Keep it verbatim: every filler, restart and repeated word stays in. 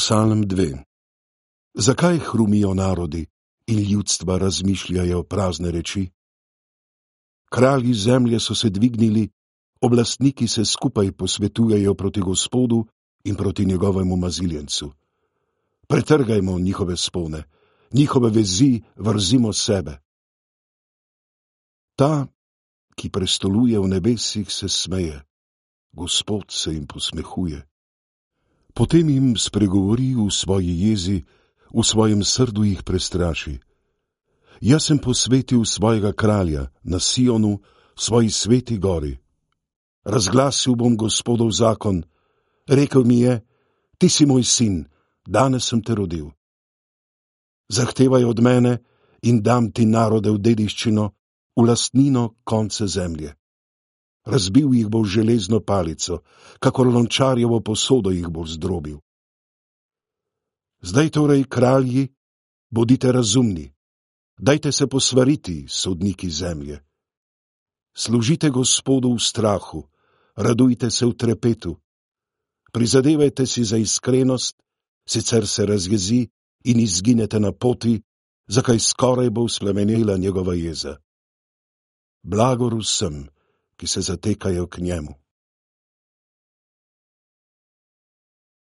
Psalm dve. Zakaj hrumijo narodi in ljudstva razmišljajo prazne reči? Kralji zemlje so se dvignili, oblastniki se skupaj posvetujejo proti Gospodu in proti njegovemu maziljencu. Pretrgajmo njihove spone, njihove vezi vrzimo sebe. Ta, ki prestoluje v nebesih, se smeje, Gospod se jim posmehuje. Potem jim spregovori v svoji jezi, v svojem srdu jih prestraši. Jaz sem posvetil svojega kralja na Sionu, svoji sveti gori. Razglasil bom Gospodov zakon, rekel mi je, ti si moj sin, danes sem te rodil. Zahtevaj od mene in dam ti narode v dediščino, v lastnino konce zemlje. Razbil jih bo železno palico, kakor lončarjevo posodo jih bo zdrobil. Zdaj torej, kralji, bodite razumni, dajte se posvariti, sodniki zemlje. Služite Gospodu v strahu, radujte se v trepetu. Prizadevajte si za iskrenost, sicer se razjezi in izginete na poti, zakaj skoraj bo vzplemenela njegova jeza. Blagor vsem, ki se zatekajo k njemu.